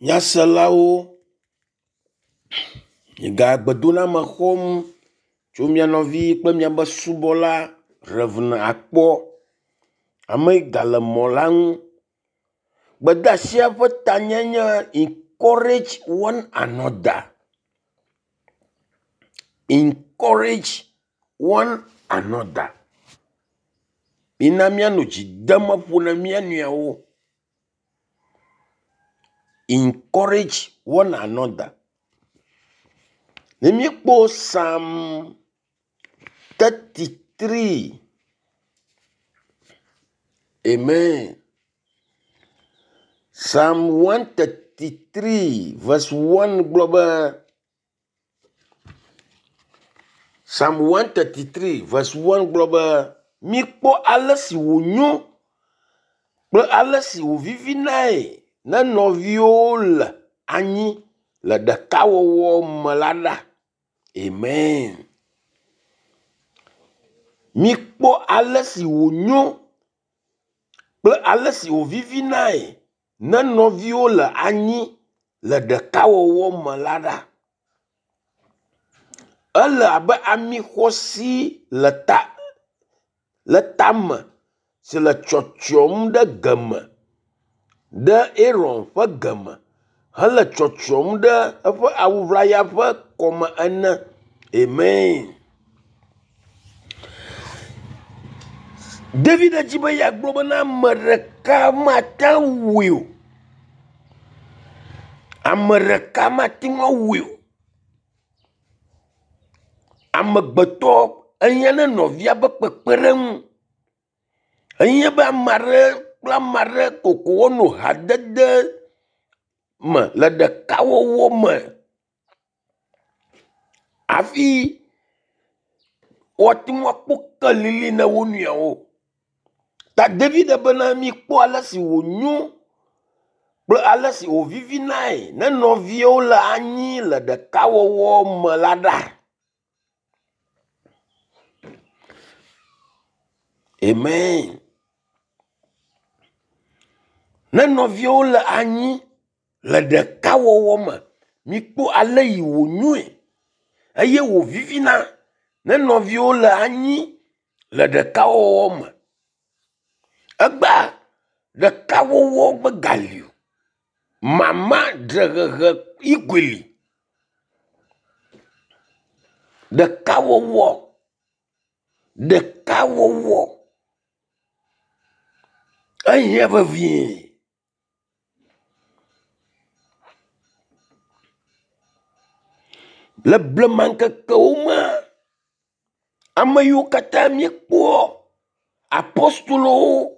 Nyaselawo, miega gbedoname xɔm tso mia nɔvi kple miabe subɔla Rev. Akpɔ. Ame yi gale mɔ la ŋu. Gbedeasia ƒe tanye nye “Encourage one another, encourage one another”. Mina míanɔ dzi dem ƒo na mía nɔewo. Encourage one another. Ne míekpɔ Psalm 33, amen. Psalm 133 verse 1 gblɔ be Psalm 133 verse 1 gblɔ be mikpɔ ale si wònyo kple ale si wòvivinae ne nɔviwo le anyi le ɖekawɔwɔ me la ɖa. Amen. Mikpɔ ale si wònyo kple ale si wòvivinae ne nɔviwo le anyi le ɖekawɔwɔ me la ɖa. Ele abe ami xɔasi le ta le tame si le tsyɔtsyɔm ɖe geme ɖe Aron ƒe geme hele tsyɔtsyɔm ɖe eƒe awu ʋlaya ƒe kɔme ene. Amen. David dzi be yeagblɔ bena ame ɖeka mate ŋu awɔe o. Ame ɖeka mate ŋu awɔe o. Amegbetɔ ehiã ne nɔvia ƒe kpekpeɖeŋu. Ehiã be ame aɖe kple ame aɖe koko woanɔ hadede me le ɖekawɔwɔ me hafi woate ŋu akpɔ kelili na wo nɔewo. Ta David bena mikpɔ ale si wònyo kple ale si wòvivinae ne nɔviwo le anyi le ɖekawɔwɔ me la ɖa. Amen. Ne nɔviwo le anyi le ɖekawɔwɔ me, mikpɔ ale yi wònyoe eye wòvivina ne nɔviwo le anyi le ɖekawɔwɔ me. Egbea ɖekawɔwɔ megali o. Mama dzrehehe yi koe li. Ɖekawɔwɔ, ɖekawɔwɔ ehiã vevie. Le blema ŋkekewo mea, ame yiwo katã míekpɔ apostolowo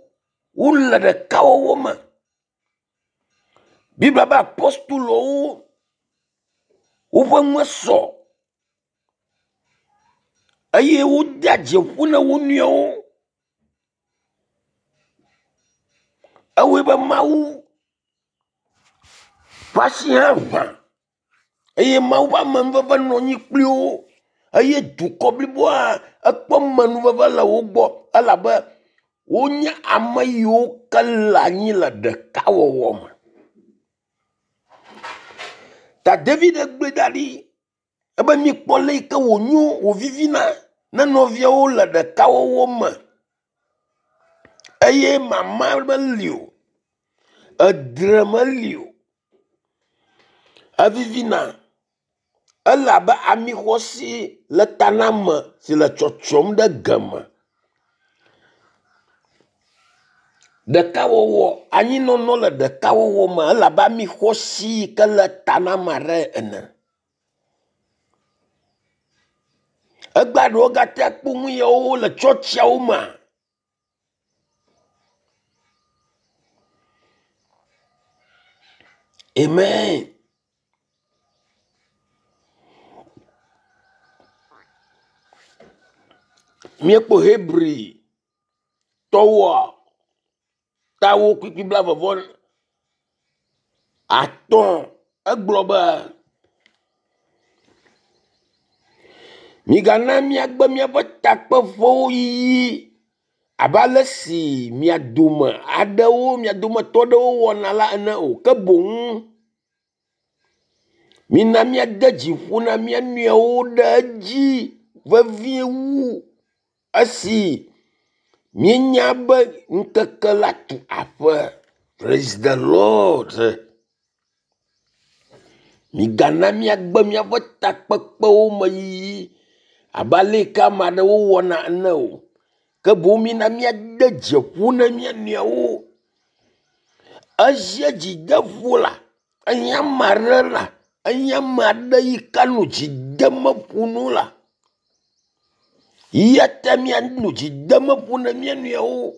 wole ɖekawɔwɔ me. Biblia be apostolowo woƒe nu sɔ eye wodea dzi ƒo na wo nɔewo. Ewɔe be Mawu ƒe asi hã ʋã eye Mawu ƒe amenuveve nɔ anyi kpli wo eye dukɔ bliboa ekpɔ amenuveve le wo gbɔ elabe wonye ame yiwo ke le anyi le ɖekawɔwɔ me. Ta David gblɔe da ɖi ebe mikpɔ le yi ke wònyo wòvivina ne nɔviawo le ɖekawɔwɔ me eye mama meli o, edre meli o. Evivina. Ele abe ami xɔasi le ta na ame si le tsyɔtsyɔm ɖe geme. Ɖekawɔwɔ, anyinɔnɔ le ɖekawɔwɔ me ele abe ami xɔasi yi ke le ta na ame aɖe ene. Egbea ɖewo gate kpɔ nu yawo le tsɔtsiawo mea? Amen. Míekpɔ Hebri tɔwoa tawo kpukpui 35 egblɔ be migana míagbe míaƒe takpeƒewo yiyi abe ale si mia dome aɖewo mia dometɔ aɖewo wɔna la ene o ke boŋ. Mina míade dzi ƒo na mía nɔewo ɖe edzi vevie wu esi míenya be ŋkeke la tu aƒe. Praise the Lord. Migana míagbe míaƒe takpekpewo me yiyi abe ale yi ke ame aɖewo wɔna ene o. Ke boŋ mina míade dzi ƒo na mía nɔewo. Ezie dzideƒo la, enye ame aɖe la, enye ame aɖe yi ke anɔ dzi dem ƒo na wo la. Eya ta míanɔ dzi dem ƒo na mía nɔewo.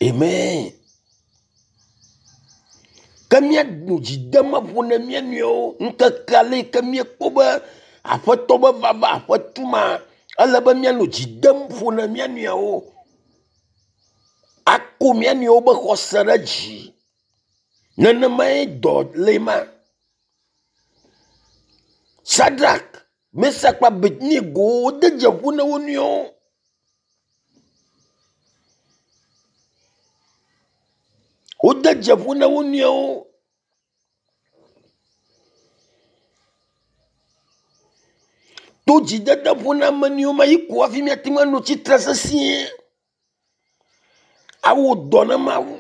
Amen. Ke míanɔ dzi dem ƒo na mía nɔewo ŋkeke ale yi ke míekpɔ be Aƒetɔ be vava aƒe tuma, ele be míanɔ dzi dem ƒo na mía nɔewo. Ako mía nɔewo be xɔse ɖe dzi. Nenemae dɔ le ma. Sadrak, Mesak kple Abednego wode dze ƒo na wo nɔewo. Wode dze ƒo na wo nɔewo. To dzidede ƒo na ame nɔewo ma yi ko hafi míate ŋu anɔ tsitre sesĩe awɔ dɔ na Mawu.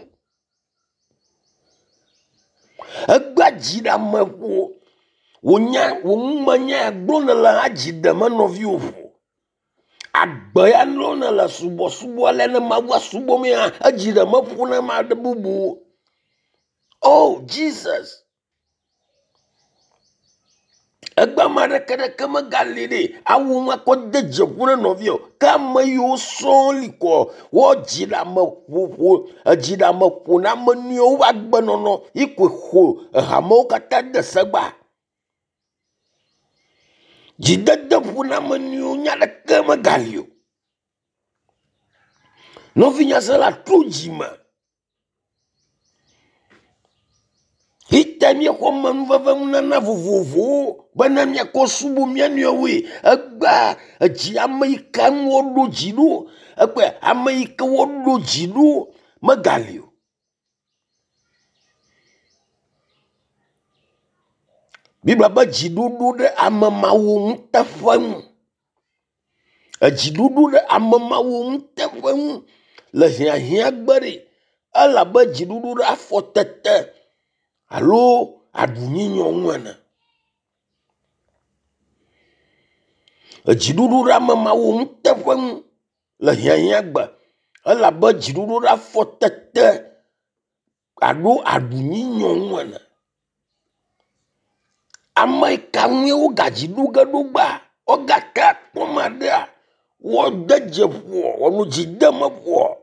Egbea dzi ɖe ame ƒo. Wò nya, wò numenya ya gblɔm nèle hã dzi ɖem nɔviwò ƒo. Agbe ya nɔm nèle subɔsubɔ alea ne Mawua subɔm ya, edzi ɖe meƒo na ame aɖe bubu. Oh Jesus. Egbe ame aɖeke ɖeke megali ɖe awu ŋu akɔ de dze ƒo na nɔvia o. Ke ame yiwo sɔŋ li kɔ woadzi ɖe ame ƒoƒo, edzi ɖe ame ƒo na ame nɔewo ƒe agbenɔnɔ yi koe xo ehamewo katã de segba. Dzidede ƒo na ame nɔewo nya ɖeke megali o. Nɔvinyasela trɔ dzime. Fita míexɔ amenuveve nunana vovovowo bena míakɔ subɔ mía nɔewoe. Egbea edzi ame yi ke ŋu woɖo dzi ɖo, ekpɔe ame yi ke woɖo dzi ɖo megali o. Biblia be dziɖoɖo ɖe ame mawo ŋuteƒe ŋu. Edziɖuɖu ɖe ame mawo ŋuteƒe ŋu le hiahiã gbe ɖi elabe dziɖuɖu ɖe afɔtete alo aɖunyunyɔ ŋu ene. Edziɖuɖu ɖe ame mawo ŋuteƒe ŋu le hiahiã gbe elabe dziɖuɖu ɖe afɔtete alo aɖunyunyɔ ŋu ene. Ame ka ŋue wogadzi ɖo ge ɖo gbea? Wogate akpɔ ame aɖea? Woade dze ƒoɔ? Woanɔ dzi dem eƒoɔ?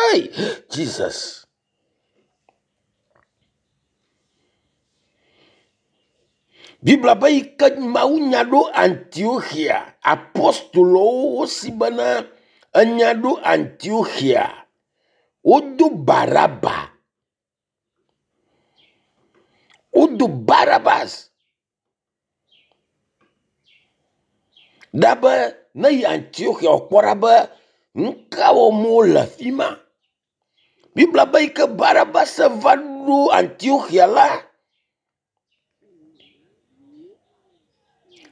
Ei, Jesus! Biblia be yi ke mawunya ɖo Antioxia, apostolowo wosi bena enya ɖo Antioxia, wodo Baraba. Wodo Barabas ɖa be ne yi Antioxia wòkpɔ ɖa be nu ka wɔm wole afi ma. Biblia be yi ke Barabas va ɖo Antioxia la,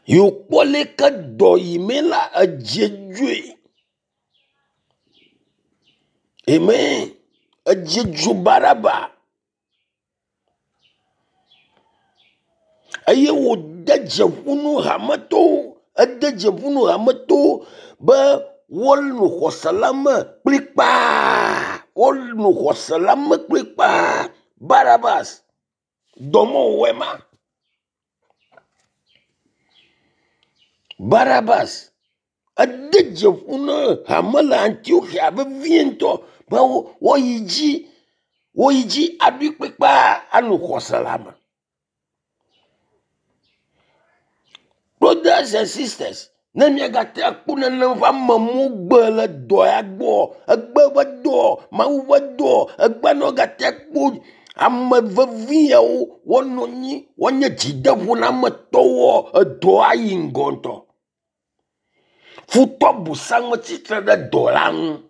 yi wòkpɔ leke dɔ yi mee la, edze dzoe. Amen. Edze dzo Baraba. Eye wòde dze ƒu nu hametɔwo. Ede dze ƒu nu hametɔwo be woanɔ xɔse la me kplikpaa. Woanɔ xɔse la me kplikpaa. Barabas, dɔ mewɔe ma. Barabas ede dze ƒu na hame le Antioxia vevie ŋutɔ be woayi dzi woyi dzi aɖoe kplikpaa anɔ xɔse la me. Brothers and sisters, ne miagate akpɔ nenem ƒe amewo gbe le dɔ ya gbɔ, egbe ƒe dɔ, Mawu ƒe dɔ, egbe ne wogate akpɔ ame vevi yawo woanɔ anyi, woanye dzideƒonametɔwo, edɔ ayi ŋgɔ ŋutɔ. Futɔ busame tsitre ɖe dɔ la ŋu.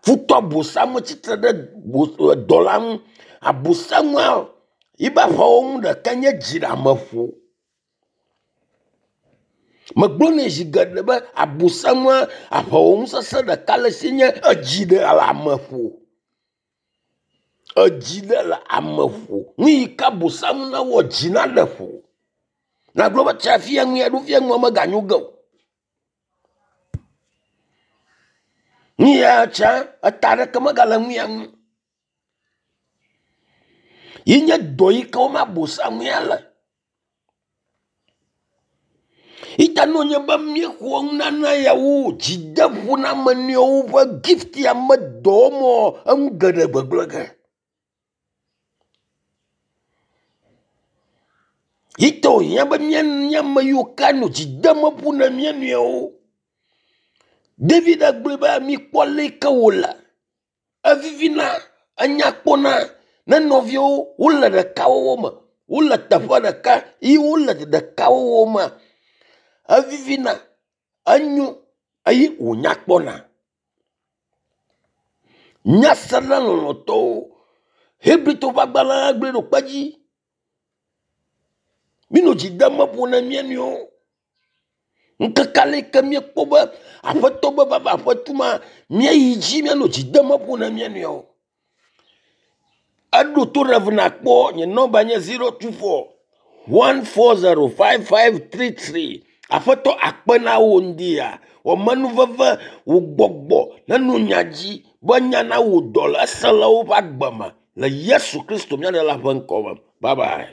Futɔ abosam tsitre ɖe dɔla ŋu. Abosamua yibe aʋawɔnu ɖeka nye dziɖeameƒo. Megblɔnɛ zi geɖe be abosamua aʋawɔnu sesẽ ɖeka le esi nye edziɖeleameƒo. Edzi ɖe le ame ƒo. Nu yi ke abosam nawɔ dzi naɖe ƒo. Nagblɔ be tsa fia nu ya ɖo fia nua meganyo ge o. Nu ya tsa eta aɖeke megale nu ya ŋu. Yi nye dɔ yi ke wɔm abosam ya le. Ita ne wònye be míexɔ nunana yawo dzideƒoname nɔewo ƒe gift ya me dɔ wɔm enu geɖe gbegblẽ ge. Yi ta wòhiã be míanye ame yiwo ke anɔ dzi dem ƒo na mía nɔewo. David gblɔe be mikpɔ ale yi ke wòle. Evivina, enya kpɔna ne nɔviwo wole ɖekawɔwɔ me, wole teƒe ɖeka ye wole ɖekawɔwɔ mea, evivina, enyo eye wònya kpɔna. Nyasela lɔlɔ̃tɔwo, Hebritɔwo ƒe agbalẽ gblɔe ɖo kpe dzi. Míenɔ dzi dem ƒo na mía nɔewo. Ŋkeke ale yi ke míekpɔ be aƒetɔ be vava aƒe tu ma, míayi dzi míanɔ dzi dem ƒo na mía nɔewo. Eɖo to ɖe nakpɔ nye nɔmba nye 024 140 5533. Aƒetɔ akpe na wò ŋdi ya. Wɔ menuveve wò gbɔgbɔ neno nya dzi be nya na wò dɔ le ese le woƒe agbe me le Yesu Kristo mía Ɖela ƒe ŋkɔ me. Bye bye.